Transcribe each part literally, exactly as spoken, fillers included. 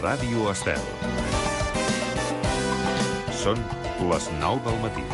Ràdio Estel. Són les nou del matí.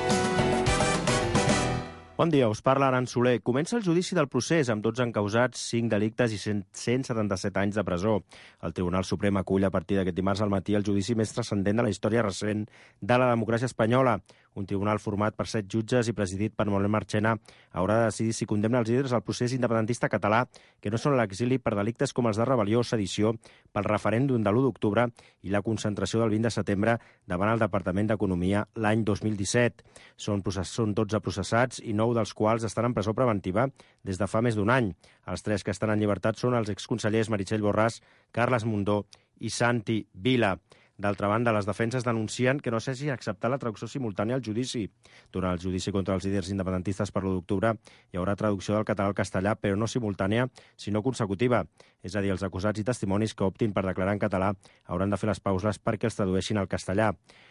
Bon dia, us parla Aran Soler. Comença el judici del procés amb dotze encausats, cinc delictes i cent setanta-set anys de presó. El Tribunal Suprem acull a partir d'aquest dimarts al matí el judici més transcendent de la història recent de la democràcia espanyola. Un tribunal format per set jutges i presidit per Manuel Marchena haurà de decidir si condemna els líders al procés independentista català que no són a l'exili per delictes com els de rebel·lió o sedició pel referèndum de l'u d'octubre i la concentració del vint de setembre davant el Departament d'Economia l'any dos mil disset. Són, process... són dotze processats i nou dels quals estan en presó preventiva des de fa més d'un any. Els tres que estan en llibertat són els exconsellers Meritxell Borràs, Carles Mundó i Santi Vila. D'altra banda, les defenses denuncien que no s'hagi acceptat la traducció simultània al judici. Durant el judici contra els líders independentistes per l'u d'octubre hi haurà traducció del català al castellà, però no simultània, sinó consecutiva. És a dir, els acusats i testimonis que optin per declarar en català hauran de fer les pauses perquè els tradueixin al castellà.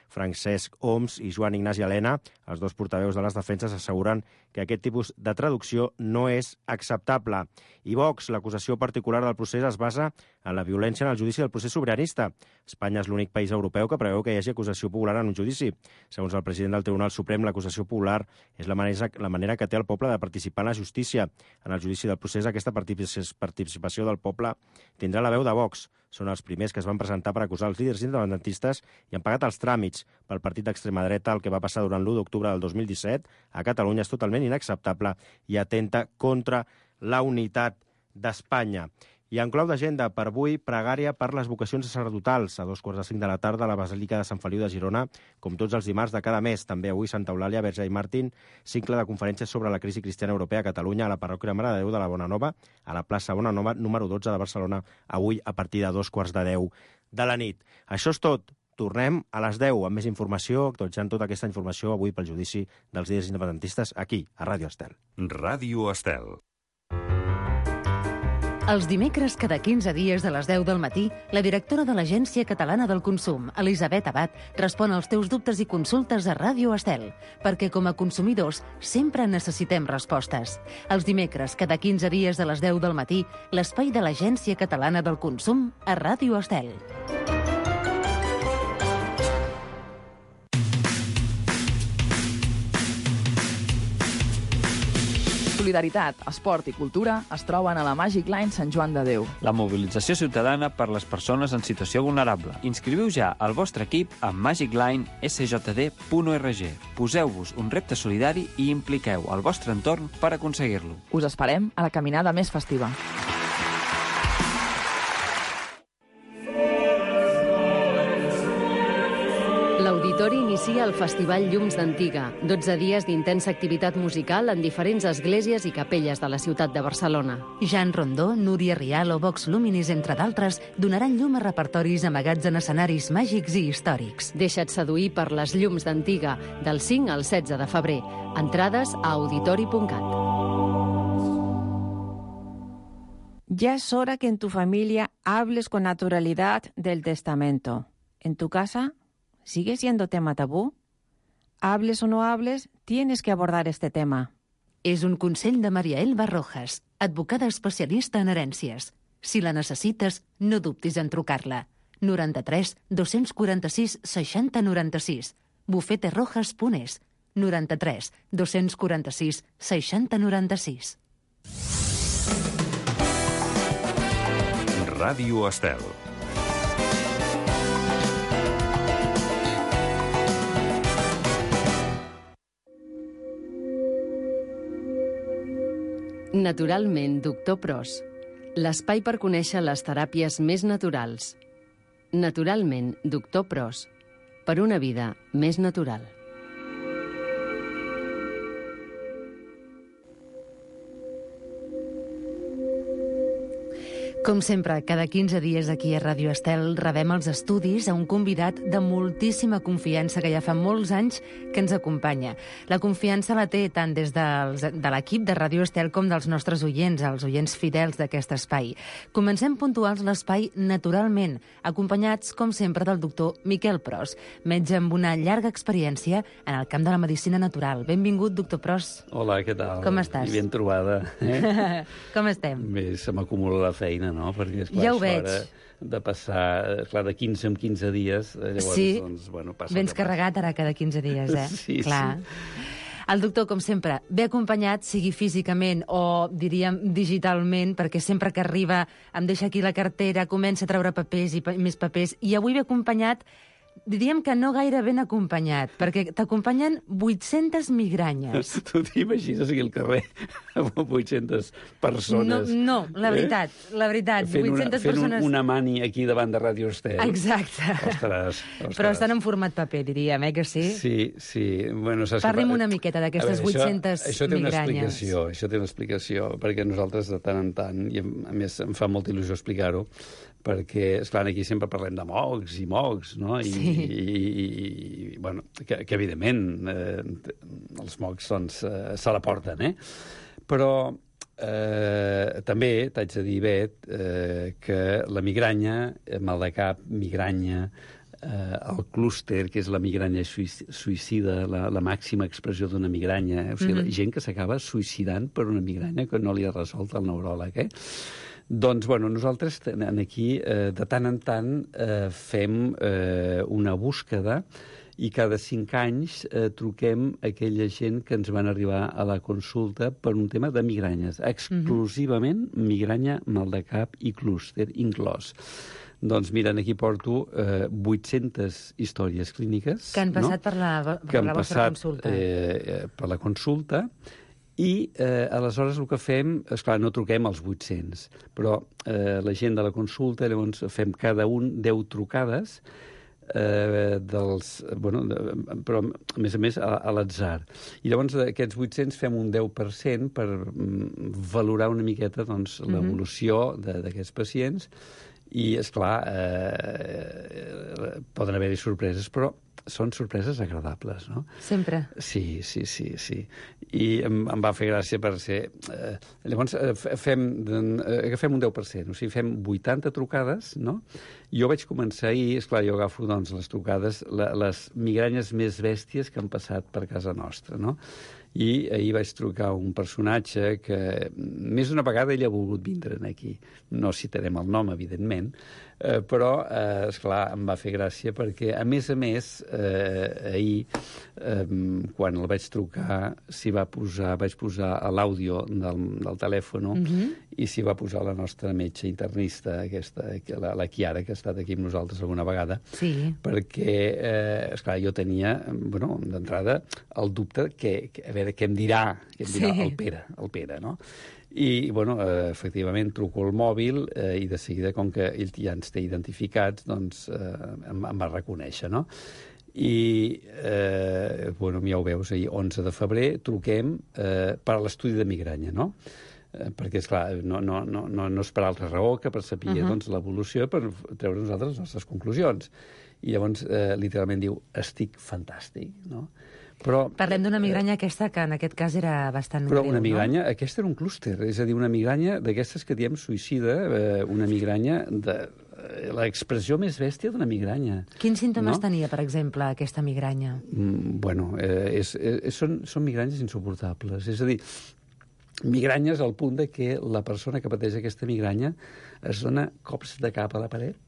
Francesc Homs i Joan Ignasi Elena, els dos portaveus de les defenses, asseguren que aquest tipus de traducció no és acceptable. I Vox, l'acusació particular del procés es basa en la violència en el judici del procés sobiranista. Espanya és l'únic país europeu que preveu que hi hagi acusació popular en un judici. Segons el president del Tribunal Suprem, l'acusació popular és la manera, la manera que té el poble de participar en la justícia. En el judici del procés, aquesta participació del poble tindrà la veu de Vox. Són els primers que es van presentar per acusar els líders independentistes i han pagat els tràmits pel partit d'extrema dreta. El que va passar durant l'u d'octubre del dos mil disset a Catalunya és totalment inacceptable i atenta contra la unitat d'Espanya. I en clau d'agenda per avui, pregària per les vocacions sacerdotals. A dos quarts de cinc de la tarda a la Basílica de Sant Feliu de Girona, com tots els dimarts de cada mes. També avui Santa Eulàlia, Verge i Martín, cicle de conferències sobre la crisi cristiana europea a Catalunya, a la parròquia Mare de Déu de la Bonanova, a la plaça Bonanova, número dotze de Barcelona, avui a partir de dos quarts de deu de la nit. Això és tot. Tornem a les deu amb més informació, actualitzant tota aquesta informació avui pel judici dels líders independentistes aquí, a Ràdio Estel. Ràdio Estel. Els dimecres, cada quinze dies de les deu del matí, la directora de l'Agència Catalana del Consum, Elisabet Abad, respon als teus dubtes i consultes a Ràdio Estel, perquè com a consumidors sempre necessitem respostes. Els dimecres, cada quinze dies de les deu del matí, l'espai de l'Agència Catalana del Consum a Ràdio Estel. Solidaritat, esport i cultura es troben a la Magic Line Sant Joan de Déu. La mobilització ciutadana per les persones en situació vulnerable. Inscriviu ja el vostre equip a magic line s j d punt org. Poseu-vos un repte solidari i impliqueu el vostre entorn per aconseguir-lo. Us esperem a la caminada més festiva. L'Auditori inicia el Festival Llums d'Antiga, dotze dies d'intensa activitat musical en diferents esglésies i capelles de la ciutat de Barcelona. Jan Rondó, Núria Rial o Vox Luminis, entre d'altres, donaran llum a repertoris amagats en escenaris màgics i històrics. Deixa't seduir per les Llums d'Antiga, del cinc al setze de febrer. Entrades a auditori punt cat. Ya es hora que en tu familia hables con naturalidad del testamento. En tu casa, ¿sigue siendo tema tabú? Hables o no hables, tienes que abordar este tema. És un consell de Maria Elba Rojas, advocada especialista en herències. Si la necessites, no dubtis en trucar-la. noranta-tres dos-cents quaranta-sis seixanta noranta-sis. bufete rojas punt es. noranta-tres dos-cents quaranta-sis seixanta noranta-sis. Ràdio Estel. Naturalment, doctor Pros. L'espai per conèixer les teràpies més naturals. Naturalment, doctor Pros. Per una vida més natural. Com sempre, cada quinze dies aquí a Ràdio Estel rebem els estudis a un convidat de moltíssima confiança que ja fa molts anys que ens acompanya. La confiança la té tant des dels, de l'equip de Ràdio Estel com dels nostres oients, els oients fidels d'aquest espai. Comencem puntuals l'espai naturalment, acompanyats, com sempre, del doctor Miquel Pros, metge amb una llarga experiència en el camp de la medicina natural. Benvingut, doctor Pros. Hola, què tal? Com estàs? I ben trobada. Eh? Com estem? Bé, se m'acumula la feina, no? Perquè, esclar, Ja ho això veig. ara de passar, clar, de quinze en quinze dies, llavors, Sí, doncs, bueno, passa vens el que carregat ara cada quinze dies, eh? Sí, Clar. sí. El doctor, com sempre, ve acompanyat, sigui físicament o, diríem, digitalment, perquè sempre que arriba em deixa aquí la cartera, comença a treure papers i pa més papers, i avui ve acompanyat, diríem que no gaire ben acompanyat, perquè t'acompanyen vuit-centes migranyes. Tu t'imagines aquí al carrer amb vuit-centes persones? No, no, la veritat, eh? la veritat, fent vuit-centes una, fent persones... un, una mani aquí davant de Ràdio Estel. Exacte. Ostres, ostres. Però estan en format paper, diríem, eh, que sí? Sí, sí. Bueno, saps Parli'm que... una miqueta d'aquestes vuit-centes això, això té una migranyes. explicació, això té una explicació, perquè nosaltres de tant en tant, i a més em fa molta il·lusió explicar-ho, perquè, esclar, aquí sempre parlem de mocs i mocs, no? I, Sí. i, i, i bueno, que, que evidentment eh, els mocs doncs, eh, se la porten, eh? Però eh, també t'haig de dir, Bet, eh, que la migranya, mal de cap, migranya, eh, el clúster, que és la migranya suïcida, la, la màxima expressió d'una migranya, eh? O sigui, mm-hmm. gent que s'acaba suïcidant per una migranya que no li ha resolt el neuròleg, eh? Doncs, bueno, nosaltres aquí, eh, de tant en tant, eh, fem eh, una búsqueda i cada cinc anys eh, truquem a aquella gent que ens van arribar a la consulta per un tema de migranyes. Exclusivament mm-hmm. migranya, mal de cap i clúster inclòs. Doncs mira, aquí porto eh, vuit-centes històries clíniques. Que han passat no? per la, per que han la vostra passat, consulta. Eh, per la consulta. I, eh, aleshores, el que fem... Esclar, no truquem als vuit-cents, però eh, la gent de la consulta, llavors fem cada un deu trucades eh, dels... Bueno, de, però, a més a més, a, a l'atzar. I llavors, d'aquests vuit-cents fem un deu per cent per mm, valorar una miqueta doncs, mm-hmm. l'evolució d'aquests pacients i, esclar, eh, poden haver-hi sorpreses, però són sorpreses agradables, no? Sempre. Sí, sí, sí, sí. I em, em va fer gràcia per ser... Eh, llavors, eh, fem, eh, agafem un deu per cent, o sigui, fem vuitanta trucades, no? Jo vaig començar ahir, esclar, jo agafo doncs, les trucades, la, les migranyes més bèsties que han passat per casa nostra, no? I ahir vaig trucar un personatge que més d'una vegada ell ha volgut vindre aquí. No citarem el nom, evidentment, eh, però, eh, esclar, em va fer gràcia perquè, a més a més, eh, ahir, eh, quan el vaig trucar, s'hi va posar, vaig posar a l'àudio del, del telèfon mm-hmm. i s'hi va posar la nostra metge internista, aquesta, la, la Chiara, que ha estat aquí amb nosaltres alguna vegada, sí. perquè, eh, esclar, jo tenia, bueno, d'entrada, el dubte que, que a veure, què em dirà, què em dirà sí. el Pere, el Pere, no? I, bueno, eh, efectivament, truco el mòbil eh, i de seguida, com que ell ja ens té identificats, doncs eh, em, em va reconèixer, no? I, eh, bueno, ja ho veus, ahir, onze de febrer, truquem eh, per a l'estudi de migranya, no? Eh, perquè, esclar, no, no, no, no, no és per altra raó que per saber uh-huh. doncs, l'evolució, per treure nosaltres les nostres conclusions. I llavors, eh, literalment diu, estic fantàstic, no? Però, Parlem d'una migranya aquesta que en aquest cas era bastant però greu, una migranya, no? Aquesta era un clúster, és a dir, una migranya d'aquestes que diem suïcida, eh, una migranya de eh, l'expressió més bèstia d'una migranya. Quins símptomes no? tenia, per exemple, aquesta migranya? Mm, bueno, eh, és, és, són, són migranyes insuportables. És a dir, migranyes al punt de que la persona que pateix aquesta migranya es dona cops de cap a la paret,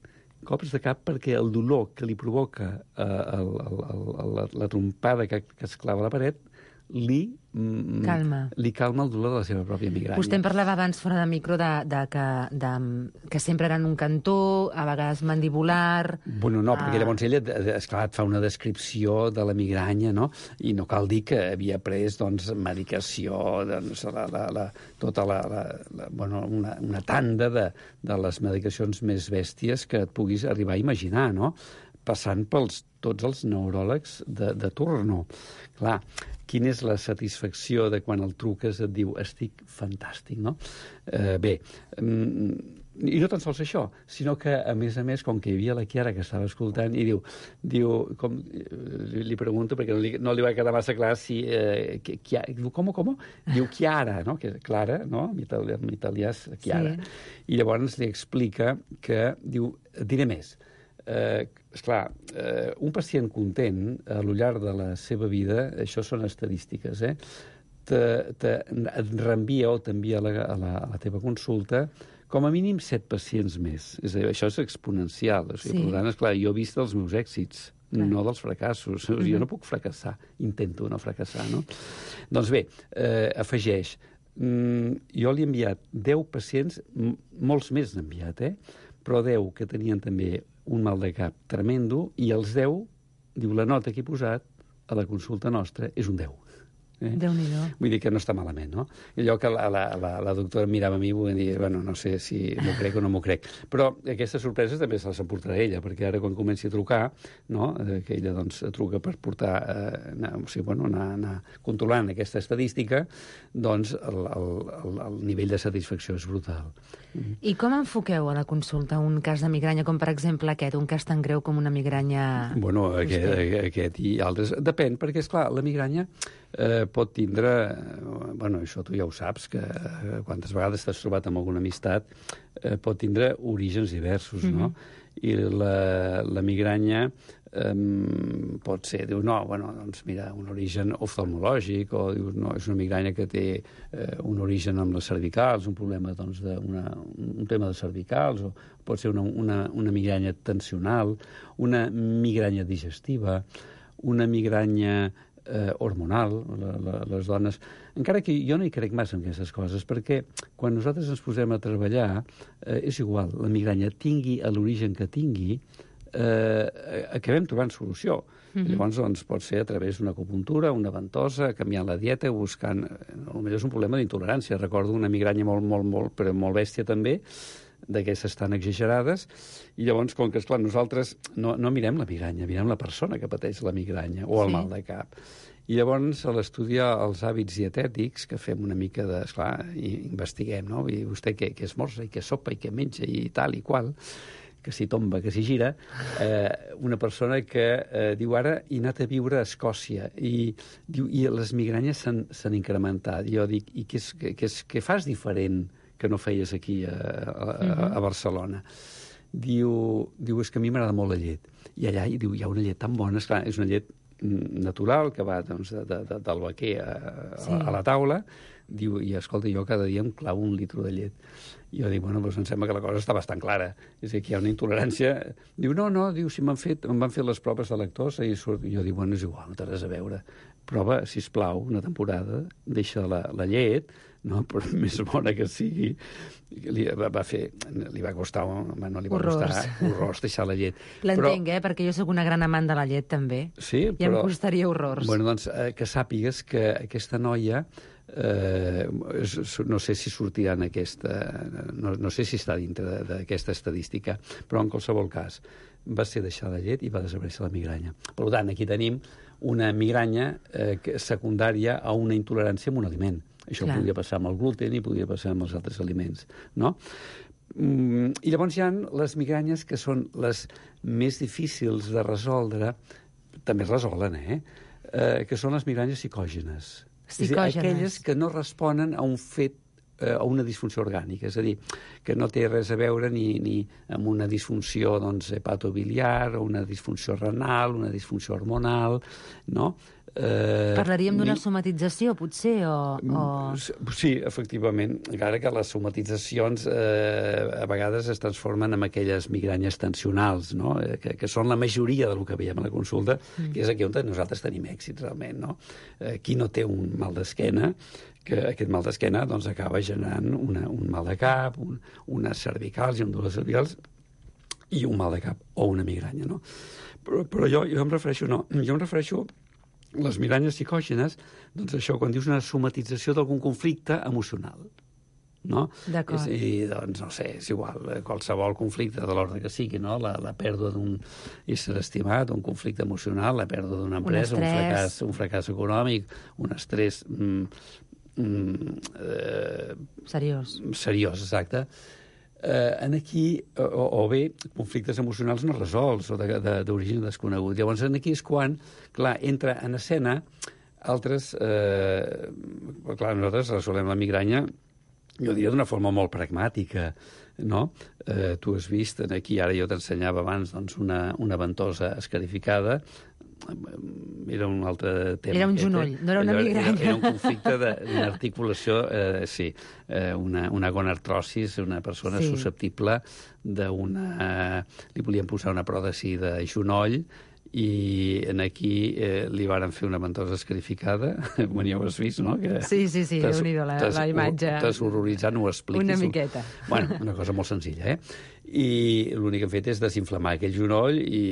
cops de cap perquè el dolor que li provoca eh, el, el, el, la, la trompada que, que es clava a la paret li, mm, calma. li calma el dolor de la seva pròpia migranya. Vostè em parlava abans fora de micro de, de, que, de, que sempre eren un cantó, a vegades mandibular... Bueno, no, perquè ah. llavors ella, esclar, et fa una descripció de la migranya, no? I no cal dir que havia pres, doncs, medicació, doncs, la, la, la, tota la, la, la, bueno, una, una tanda de, de les medicacions més bèsties que et puguis arribar a imaginar, no? Passant pels tots els neuròlegs de, de turno. Clar, quina és la satisfacció de quan el truques et diu estic fantàstic, no? Eh, bé, i no tan sols això, sinó que, a més a més, com que hi havia la Chiara que estava escoltant, i diu, diu com, li, li pregunto, perquè no li, no li va quedar massa clar si... Eh, Chiara, diu, com, com? Diu Chiara, no? Que és Clara, no? En italià, en italià és Chiara. Sí. I llavors li explica que, diu, diré més, Eh, esclar, eh, un pacient content a lo llarg de la seva vida, això són estadístiques, eh? Te, te, et reenvia o t'envia a, la, a, la, a la teva consulta com a mínim set pacients més. És a dir, això és exponencial. O sigui, sí. Per tant, esclar, jo he vist els meus èxits, clar. No dels fracassos. O sigui, jo no puc fracassar, intento no fracassar, no? Doncs bé, eh, afegeix, mm, jo li he enviat deu pacients, molts més n'he enviat, eh? Però deu que tenien també un mal de cap tremendo, i els deu, diu, la nota que he posat a la consulta nostra és un deu. Eh? Déu-n'hi-do. Vull dir que no està malament, no? I allò que la, la, la, la doctora mirava a mi i vull dir, bueno, no sé si m'ho crec o no m'ho crec. Però aquestes sorpreses també se les emportarà ella, perquè ara quan comenci a trucar, no? Que ella doncs truca per portar, eh, anar, o sigui, bueno, anar, anar controlant aquesta estadística, doncs el, el, el, el nivell de satisfacció és brutal. I com enfoqueu a la consulta un cas de migranya, com per exemple aquest, un cas tan greu com una migranya... Bueno, aquest, aquest i altres. Depèn, perquè, esclar, la migranya eh, pot tindre... Bueno, això tu ja ho saps, que eh, quantes vegades t'has trobat amb alguna amistat, eh, pot tindre orígens diversos, mm-hmm. no? I la, la migranya eh, pot ser, diu, no, bueno, doncs mira, un origen oftalmològic, o dius, no, és una migranya que té eh, un origen amb les cervicals, un problema, doncs, de una, un tema de cervicals, o pot ser una, una, una migranya tensional, una migranya digestiva, una migranya eh, hormonal, la, la, les dones... Encara que jo no hi crec massa en aquestes coses, perquè quan nosaltres ens posem a treballar, eh, és igual, la migranya tingui l'origen que tingui, eh, acabem trobant solució. Mm-hmm. Llavors, doncs, pot ser a través d'una acupuntura, una ventosa, canviant la dieta, buscant... Potser és un problema d'intolerància. Recordo una migranya molt, molt, molt, però molt bèstia també, d'aquestes tan exagerades, i llavors, com que, esclar, nosaltres no, no mirem la migranya, mirem la persona que pateix la migranya, o el sí. mal de cap. I llavors, a l'estudiar els hàbits dietètics, que fem una mica de... Esclar, investiguem, no? I vostè què, què esmorza, i què sopa, i què menja, i tal i qual, que si tomba, que si gira, eh, una persona que eh, diu ara he anat a viure a Escòcia, i, diu, i les migranyes s'han incrementat. I jo dic, i què, és, què, què, és, què fas diferent que no feies aquí a, a, a Barcelona? Diu, diu, és que a mi m'agrada molt la llet. I allà diu, hi ha una llet tan bona, esclar, és una llet natural, que va doncs, de, de, del vaquer a, sí. a, a la taula, diu, i escolta, jo cada dia em clavo un litro de llet. I jo dic, bueno, doncs em sembla que la cosa està bastant clara. És a dir, que hi ha una intolerància. Diu, no, no, diu, si m'han fet, em van fer les proves de lactosa i surt... I jo dic, bueno, és igual, no té res a veure. Prova, sisplau, una temporada, deixa la, la llet, no? Per més bona que sigui, li va, va fer, li va costar, no li va horrors. costar horrors deixar la llet. L'entenc, eh? Perquè jo sóc una gran amant de la llet, també. Sí, I però... em costaria horrors. Bueno, doncs, eh, que sàpigues que aquesta noia, eh, no sé si sortirà en aquesta... No, no sé si està dintre d'aquesta estadística, però en qualsevol cas va ser deixar la llet i va desaparèixer la migranya. Per tant, aquí tenim una migranya eh, secundària a una intolerància a un aliment. Això Clar. Podria passar amb el gluten i podria passar amb els altres aliments, no? Mm, I llavors hi ha les migranyes que són les més difícils de resoldre, també es resolen, eh? eh que són les migranyes psicògenes. Psicògenes. És a dir, aquelles que no responen a un fet, eh, a una disfunció orgànica, és a dir, que no té res a veure ni, ni amb una disfunció doncs, hepatobiliar, o una disfunció renal, una disfunció hormonal, no? Eh, Parlaríem d'una somatització, potser, o, o... Sí, efectivament, encara que les somatitzacions eh, a vegades es transformen en aquelles migranyes tensionals, no? eh, que, que són la majoria del que veiem a la consulta, mm. que és aquí on nosaltres tenim èxit, realment. No? Eh, qui no té un mal d'esquena, que aquest mal d'esquena doncs, acaba generant una, un mal de cap, un, unes cervicals i un dolor cervicals, i un mal de cap, o una migranya. No? Però, però jo, jo em refereixo, no, jo em refereixo les migranyes psicògenes, doncs això, quan dius una somatització d'algun conflicte emocional, no? D'acord. I, doncs, no sé, és igual, qualsevol conflicte de l'ordre que sigui, no? La, la pèrdua d'un ésser estimat, un conflicte emocional, la pèrdua d'una empresa, un, un, fracàs, un fracàs econòmic, un estrès... Mm, mm, eh, seriós. Seriós, exacte. Eh, en aquí, o, o bé, conflictes emocionals no resolts o d'origen de, de, desconegut. Llavors, en aquí és quan, clar, entra en escena altres... Eh, clar, nosaltres resolem la migranya, jo diria d'una forma molt pragmàtica, no? Eh, tu has vist, aquí ara jo t'ensenyava abans doncs, una, una ventosa escarificada, era un altre tema. Era un genoll, no era una migranya. Era, era un conflicte d'una articulació, eh, sí, eh, una, una gonartrosis, una persona Sí. susceptible d'una... Eh, li volien posar una pròtesi de genoll, i en aquí eh, li varen fer una ventosa escarificada. Bueno, ja ho has vist, no? Que Sí, sí, sí, t'has- Déu-n'hi-do, la, t'has- la imatge. T'has horroritzat, no ho expliquis. Una miqueta. Bueno, una cosa molt senzilla, eh? I l'únic que hem fet és desinflamar aquell genoll i,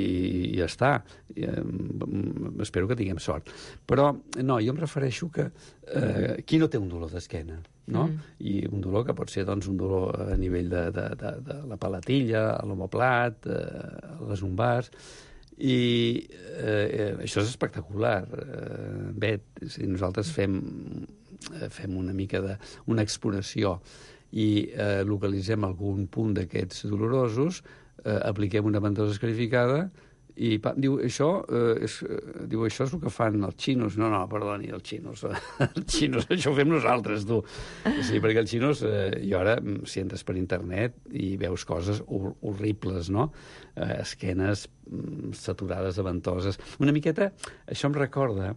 i ja està. I, eh, espero que tinguem sort. Però, no, jo em refereixo que eh, qui no té un dolor d'esquena, no? Mm. I un dolor que pot ser, doncs, un dolor a nivell de, de, de, de la palatilla, a l'omoplat, eh, a les umbars, i eh, eh, això és espectacular, eh, Bet. Si nosaltres fem, fem una mica de, una exploració i eh, localitzem algun punt d'aquests dolorosos, eh, apliquem una ventosa escarificada i pa, diu, això, eh, és, eh, diu, això és el que fan els xinos. No, no, perdoni, els xinos. Els xinos, això ho fem nosaltres, tu. Sí, perquè els xinos, eh, i ara, si entres per internet i veus coses hor horribles, no? Eh, esquenes mm, saturades de ventoses. Una miqueta, això em recorda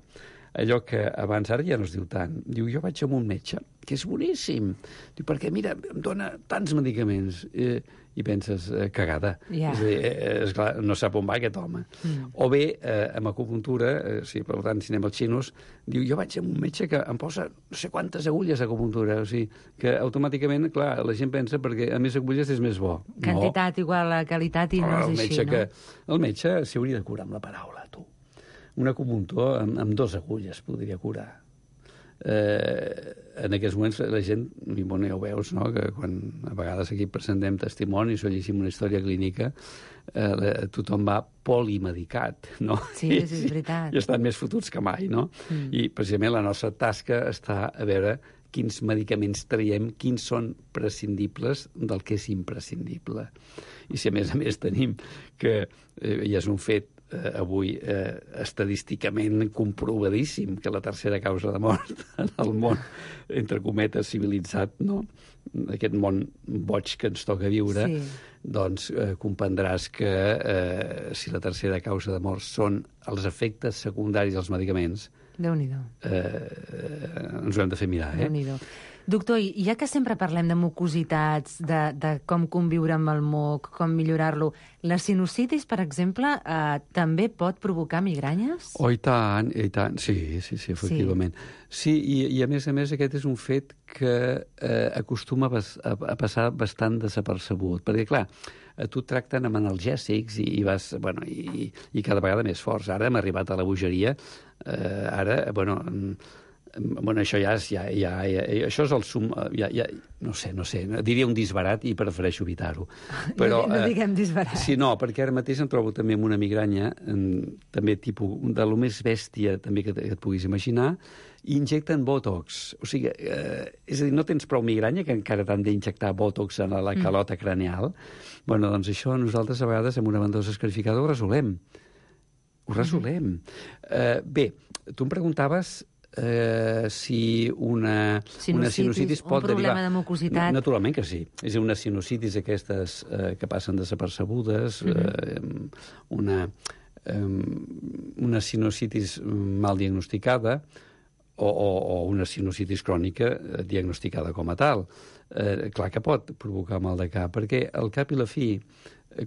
allò que abans, ara ja no es diu tant, diu, jo vaig amb un metge, que és boníssim, diu, perquè, mira, em dona tants medicaments, eh, i penses, eh, cagada. Ja. És a dir, eh, esclar, no sap on va aquest home. Mm. O bé, eh, amb acupuntura, eh, sí, per tant, si anem als xinos, diu, jo vaig amb un metge que em posa no sé quantes agulles d'acupuntura, o sigui, que automàticament, clar, la gent pensa perquè a més agulles és més bo. Quantitat igual a qualitat i no el és metge així, que, no? el metge s'hi hauria de curar amb la paraula, tu. Un acupuntor amb, amb dos agulles podria curar. Eh, en aquests moments la gent, i bueno, ja ho veus, no? Que quan a vegades aquí presentem testimonis o llegim una història clínica, eh, la, tothom va polimedicat, no? Sí, sí, és veritat. I estan més fotuts que mai, no? Mm. I precisament la nostra tasca està a veure quins medicaments traiem, quins són prescindibles del que és imprescindible. I si a més a més tenim que, eh, ja és un fet, eh, avui eh, estadísticament comprovadíssim que la tercera causa de mort en el món, entre cometes, civilitzat, no? Aquest món boig que ens toca viure, Sí. doncs eh, comprendràs que eh, si la tercera causa de mort són els efectes secundaris dels medicaments, Déu-n'hi-do. eh, ens ho hem de fer mirar, eh? Déu-n'hi-do. Doctor, i ja que sempre parlem de mucositats, de, de com conviure amb el moc, com millorar-lo, la sinusitis, per exemple, eh, també pot provocar migranyes? Oh, i tant, i tant. Sí, sí, sí, efectivament. Sí, sí i, i a més a més aquest és un fet que eh, acostuma a, a, a passar bastant desapercebut, perquè, clar, a tu et tracten amb analgèsics i, i vas, bueno, i, i cada vegada més forts. Ara hem arribat a la bogeria, eh, ara, bueno... Bueno, això ja és, ja, ja, ja, això és el sum... Ja, ja, no sé, no sé, diria un disbarat i prefereixo evitar-ho. Però, no, no diguem disbarat. Eh, sí, no, perquè ara mateix em trobo també amb una migranya, en, també tipus, de lo més bèstia també que, que et puguis imaginar, i injecten botox. O sigui, eh, és a dir, no tens prou migranya que encara t'han d'injectar botox en la, la calota mm. craneal. Bueno, doncs això nosaltres a vegades amb una ventosa escarificada ho resolem. Ho resolem. Mm. Eh, bé, tu em preguntaves... Eh, si una sinusitis, una sinusitis pot un problema derivar... de mucositat. Naturalment que sí. És una sinusitis aquestes eh, que passen desapercebudes, mm -hmm. eh, una, eh, una sinusitis mal diagnosticada o, o, o una sinusitis crònica eh, diagnosticada com a tal. Eh, clar que pot provocar mal de cap, perquè al cap i la fi,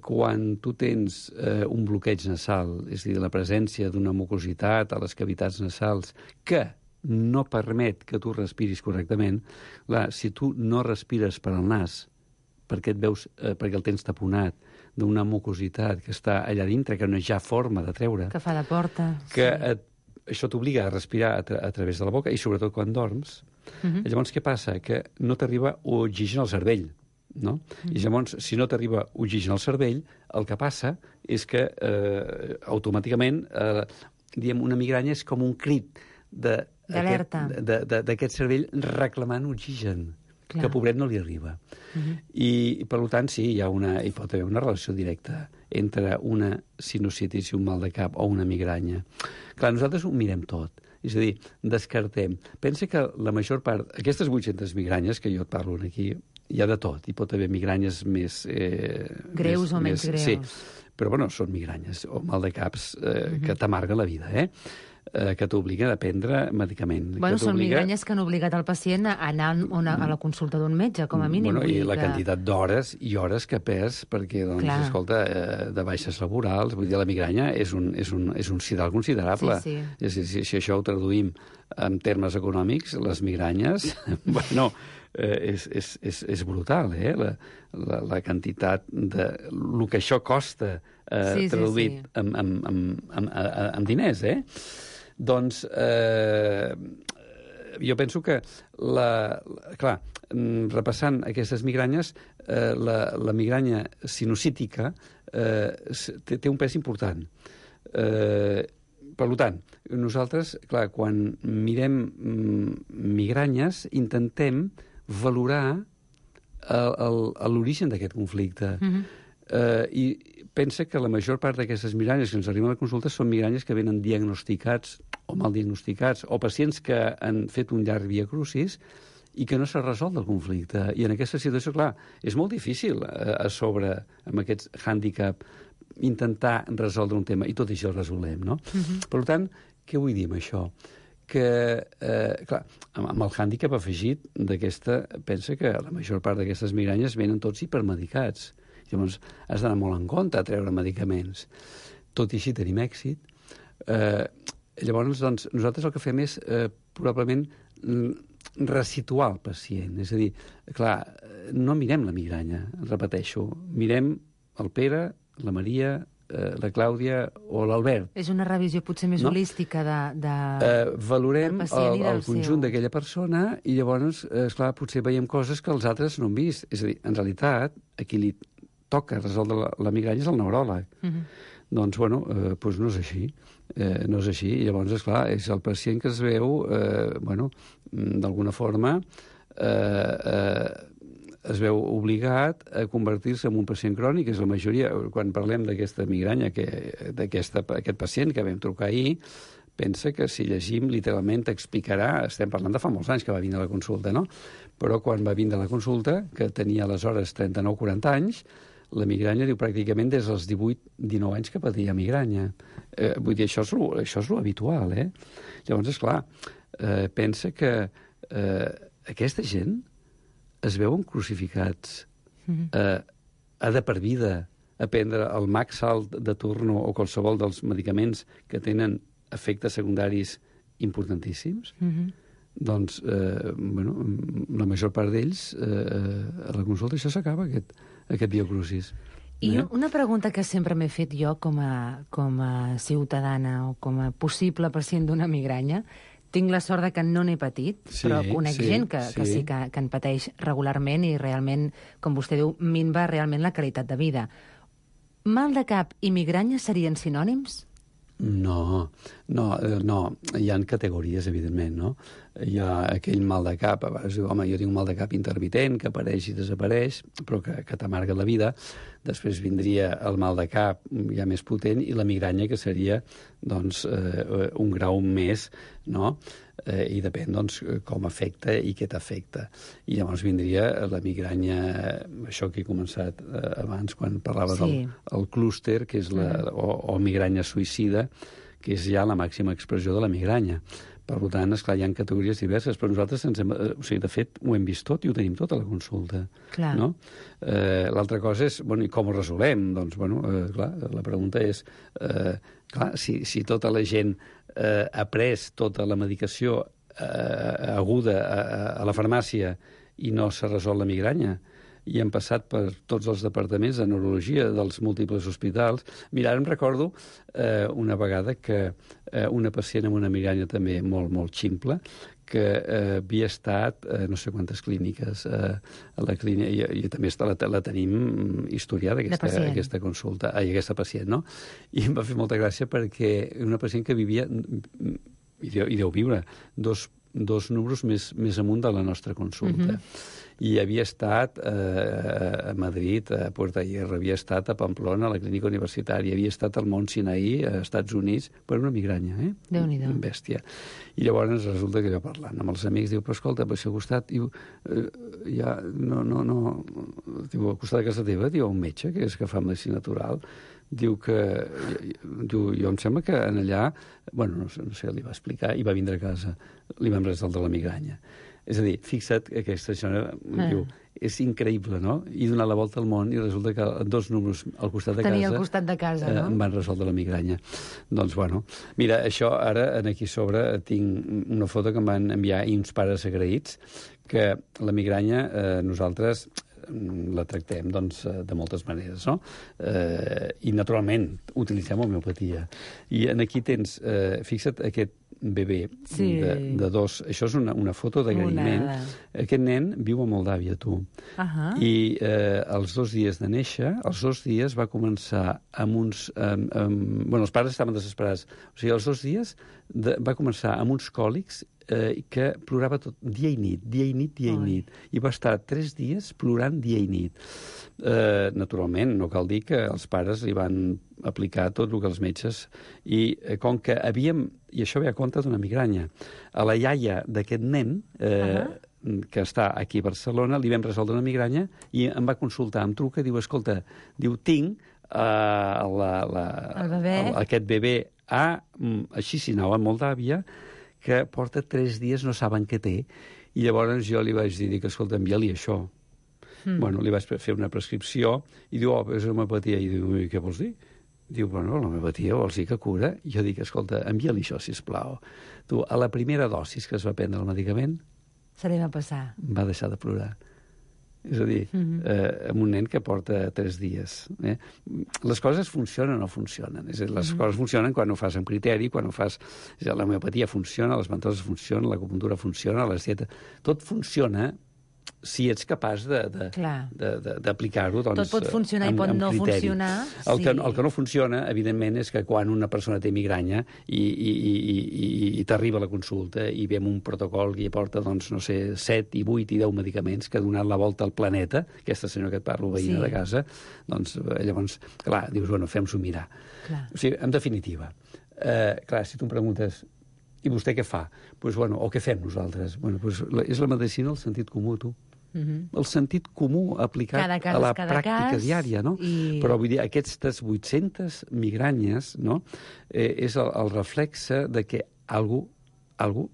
quan tu tens eh, un bloqueig nasal, és a dir, la presència d'una mucositat a les cavitats nasals que no permet que tu respiris correctament, clar, si tu no respires per al nas, perquè et veus, eh, perquè el tens taponat d'una mucositat que està allà dintre, que no hi ha forma de treure, que fa de porta, que sí. et, això t'obliga a respirar a, tra a través de la boca, i sobretot quan dorms. Uh -huh. Llavors, què passa? Que no t'arriba oxigen al cervell, no? Mm. I llavors, si no t'arriba oxigen al cervell, el que passa és que eh, automàticament, eh, diguem, una migranya és com un crit d'alerta d'aquest cervell reclamant oxigen, clar, que pobret no li arriba. Mm-hmm. I, per tant, sí, hi, ha una, hi pot haver una relació directa entre una sinusitis i un mal de cap o una migranya. Clar, nosaltres ho mirem tot. És a dir, descartem. Pensa que la major part... Aquestes vuit-centes migranyes que jo et parlo aquí, hi ha de tot. Hi pot haver migranyes més... Eh, greus més, o menys més, greus. Sí, però bueno, són migranyes o mal de caps eh, Uh-huh. que t'amarga la vida, eh? eh, que t'obliguen a prendre medicament. Bueno, que són migranyes que han obligat el pacient a anar a, a la consulta d'un metge, com a mínim. Bueno, I la que... quantitat d'hores i hores que perds perquè, doncs, Clar. escolta, eh, de baixes laborals, vull dir, la migranya és un, és un, és un sidral considerable. Sí, sí. És, si, si això ho traduïm en termes econòmics, les migranyes, bueno, eh, és, és, és, és brutal, eh? La, la, la quantitat de... el que això costa eh, Sí, sí, traduït sí. amb, amb, amb, amb, amb diners, eh? Doncs, eh, jo penso que, la, la, clar, repassant aquestes migranyes, eh, la, la migranya sinusítica eh, té, té un pes important. Eh, per tant, nosaltres, clar, quan mirem migranyes, intentem valorar l'origen d'aquest conflicte. Mhm. Eh, I pensa que la major part d'aquestes migranyes que ens arriben a la consulta són migranyes que venen diagnosticats o mal diagnosticats, o pacients que han fet un llarg via crucis i que no s'ha resolt el conflicte. I en aquesta situació, clar, és molt difícil eh, a sobre, amb aquest hàndicap, intentar resoldre un tema, i tot això el resolem, no? Mhm. Per tant, què vull dir amb això? Que, eh, clar, amb, amb el hàndicap afegit d'aquesta, pensa que la major part d'aquestes migranyes venen tots hipermedicats. Llavors, has d'anar molt en compte a treure medicaments. Tot i així tenim èxit. Eh, llavors, doncs, nosaltres el que fem és, eh, probablement, resituar el pacient. És a dir, clar, no mirem la migranya, repeteixo. Mirem el Pere, la Maria, eh, la Clàudia o l'Albert. És una revisió potser més No? holística de, de... Eh, valorem del pacient i el, el del conjunt seu- d'aquella persona i llavors, eh, esclar, potser veiem coses que els altres no han vist. És a dir, en realitat, a qui li toca resoldre la, la migranya és el neuròleg. Mhm. Doncs, bueno, eh, doncs no és així. Eh, no és així. I llavors, esclar, és el pacient que es veu, eh, bueno, d'alguna forma, eh, eh, es veu obligat a convertir-se en un pacient crònic, és la majoria. Quan parlem d'aquesta migranya, que, d'aquest pacient que vam trucar ahir, pensa que si llegim literalment t'explicarà, estem parlant de fa molts anys que va vindre a la consulta, no? Però quan va vindre a la consulta, que tenia aleshores trenta-nou quaranta anys, la migranya diu pràcticament des dels divuit dinou anys que patia migranya. Eh, vull dir, això és lo, això és lo habitual, eh? Llavors, esclar, eh, pensa que eh, aquesta gent es veuen crucificats, Mhm. eh, ha de per vida a prendre el Maxalt de turno o qualsevol dels medicaments que tenen efectes secundaris importantíssims. Mhm. Doncs, eh, bueno, la major part d'ells, eh, a la consulta això s'acaba, aquest, aquest biocrucis. I Eh? una pregunta que sempre m'he fet jo com a, com a ciutadana o com a possible pacient d'una migranya, tinc la sort de que no n'he patit, Sí, però conec sí, gent que, que sí. sí que, que en pateix regularment i realment, com vostè diu, minva realment la qualitat de vida. Mal de cap i migranya serien sinònims? No, no, eh, no. Hi ha categories, evidentment, no? Hi ha aquell mal de cap, a vegades diu, home, jo tinc un mal de cap intermitent, que apareix i desapareix, però que, que t'amarga la vida. Després vindria el mal de cap ja més potent i la migranya, que seria, doncs, eh, un grau més, no? Eh, I depèn, doncs, com afecta i què t'afecta. I llavors vindria la migranya, això que he començat eh, abans, quan parlava Sí. del el clúster, que és la, o, o migranya suïcida, que és ja la màxima expressió de la migranya. Per tant, esclar, hi ha categories diverses, però nosaltres, ens hem, eh, o sigui, de fet, ho hem vist tot i ho tenim tot a la consulta. Clar. No? Eh, L'altra cosa és, bueno, i com ho resolem? Doncs, bueno, eh, clar, la pregunta és, eh, clar, si, si tota la gent eh, ha pres tota la medicació eh, aguda a, a la farmàcia i no s'ha resolt la migranya, i hem passat per tots els departaments de neurologia dels múltiples hospitals. Mira, ara em recordo eh, una vegada que eh, una pacient amb una migranya també molt, molt ximple, que eh, havia estat, eh, no sé quantes clíniques, eh, a la clínica, i, i també està, la, la tenim historiada, aquesta, pacient. aquesta consulta, ai, aquesta pacient, no? I em va fer molta gràcia perquè una pacient que vivia, i deu, i deu viure, dos, dos números més, més amunt de la nostra consulta. Mhm. i havia estat eh, a Madrid, a Puerto Hierro, havia estat a Pamplona, a la clínica universitària, havia estat al Mont Sinaí, a Estats Units, per una migranya, eh? Déu-n'hi-do. Bèstia. I llavors resulta que jo parlant amb els amics, diu, però escolta, per al costat, diu, eh, ja, no, no, no, diu, al costat de casa teva, diu, un metge, que és que fa medicina natural, diu que, diu, jo em sembla que en allà, bueno, no sé, no sé, li va explicar, i va vindre a casa, li vam resoldre la migranya. És a dir, fixa't que aquesta senyora ah. diu, és increïble, no? I donar la volta al món i resulta que dos números al costat de Tenia casa... al costat de casa, eh, no? Em van resoldre la migranya. Doncs, bueno, mira, això ara, aquí sobre, tinc una foto que em van enviar i uns pares agraïts, que la migranya eh, nosaltres la tractem doncs, de moltes maneres, no? Eh, I, naturalment, utilitzem homeopatia. I en aquí tens, eh, fixa't, aquest bebè sí. de, de dos... Això és una, una foto d'agraïment. Aquest nen viu a Moldàvia, tu. Uh -huh. I eh, els dos dies de néixer, els dos dies va començar amb uns... Amb, amb, bueno, els pares estaven desesperats. O sigui, els dos dies de, va començar amb uns còlics eh, que plorava tot, dia i nit, dia i nit, dia Oi. i nit. I va estar tres dies plorant dia i nit. Eh, naturalment, no cal dir que els pares li van aplicar tot el que els metges... I eh, com que havíem... I això ve a compte d'una migranya. A la iaia d'aquest nen... Eh, uh -huh. que està aquí a Barcelona, li vam resoldre una migranya i em va consultar, em truca, diu, escolta, diu, tinc uh, la, la, el bebè. El, aquest bebè a, a Chisinau, a Moldàvia, que porta tres dies, no saben què té. I llavors jo li vaig dir que, escolta, envia-li això. Mm. Bueno, li vaig fer una prescripció i diu, oh, és homeopatia. I diu, què vols dir? Diu, bueno, l'homeopatia vols dir que cura? I jo dic, escolta, envia-li això, sisplau. Tu, a la primera dosis que es va prendre el medicament, se li va passar. Va deixar de plorar. És a dir, mm-hmm. eh, amb un nen que porta tres dies. Eh? Les coses funcionen o no funcionen. És a dir, les mm-hmm. coses funcionen quan ho fas amb criteri, quan ho fas... És a dir, l'homeopatia funciona, les ventoses funcionen, l'acupuntura funciona, les dietes... Tot funciona si ets capaç d'aplicar-ho, doncs... Tot pot funcionar amb, i pot no criteri. funcionar. El, sí. que, el que no funciona, evidentment, és que quan una persona té migranya i, i, i, i, i t'arriba a la consulta i ve amb un protocol que hi porta, doncs, no sé, set i vuit i deu medicaments que ha donat la volta al planeta, aquesta senyora que et parlo, veïna sí. de casa, doncs, llavors, clar, dius, bueno, fem-s'ho mirar. Clar. O sigui, en definitiva, eh, clar, si tu em preguntes i vostè què fa? Pues, bueno, o què fem nosaltres? Bueno, pues, la, és la medicina el sentit comú, tu. Mm-hmm. El sentit comú aplicat cas, a la pràctica cas, diària, no? I... Però vull dir, aquestes vuit-centes migranyes, no?, eh, és el, el reflexe de que algú, algú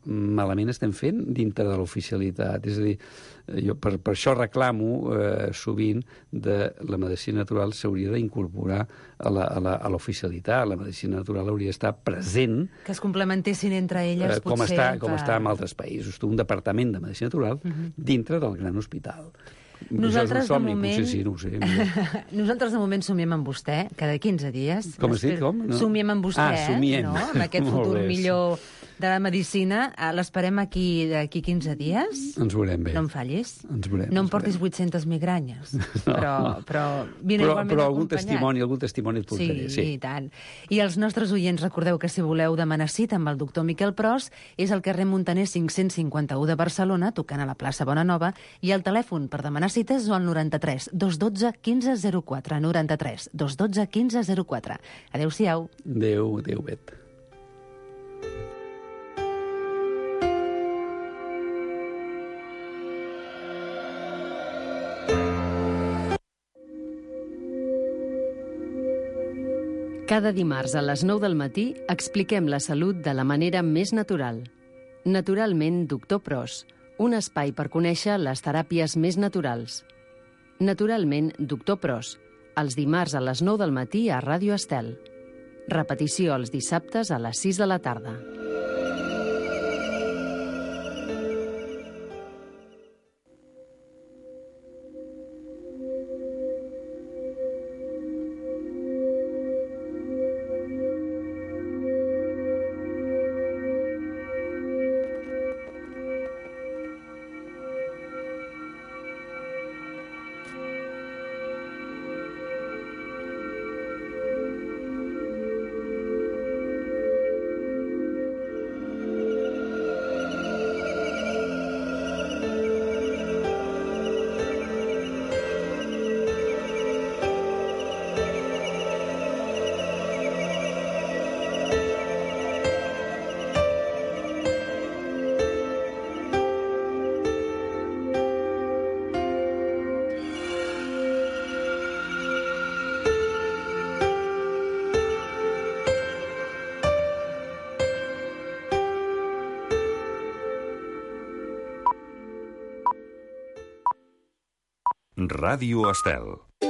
malament estem fent dintre de l'oficialitat. És a dir, jo per, per això reclamo eh, sovint de la medicina natural s'hauria d'incorporar a l'oficialitat. La medicina natural hauria d'estar present. Que es complementessin entre elles, eh, com potser. Està, com per... està en altres països. Un departament de medicina natural uh-huh. dintre del gran hospital. Nosaltres, somni, de moment... sí, no ho sé, Nosaltres, de moment, somiem amb vostè, cada quinze dies. Com has dit, com? No? Somiem amb vostè, ah, somiem. no? Amb aquest futur millor de la medicina. L'esperem aquí d'aquí quinze dies. Ens veurem bé. No em fallis. Ens veurem. No em portis vuit-centes migranyes. No, però, però, però, però algun testimoni, algun testimoni et portaré. Sí, sí, i tant. I els nostres oients, recordeu que si voleu demanar cita amb el doctor Miquel Pros, és al carrer Montaner cinc-cents cinquanta-u de Barcelona, tocant a la plaça Bonanova, i el telèfon per demanar cites és el noranta-tres dos dotze quinze zero quatre, noranta-tres dos dotze quinze zero quatre. Adéu-siau. Adéu, adéu, Bet. Cada dimarts a les nou del matí expliquem la salut de la manera més natural. Naturalment, doctor Pros, un espai per conèixer les teràpies més naturals. Naturalment, doctor Pros, els dimarts a les nou del matí a Ràdio Estel. Repetició els dissabtes a les sis de la tarda. Ràdio Estel.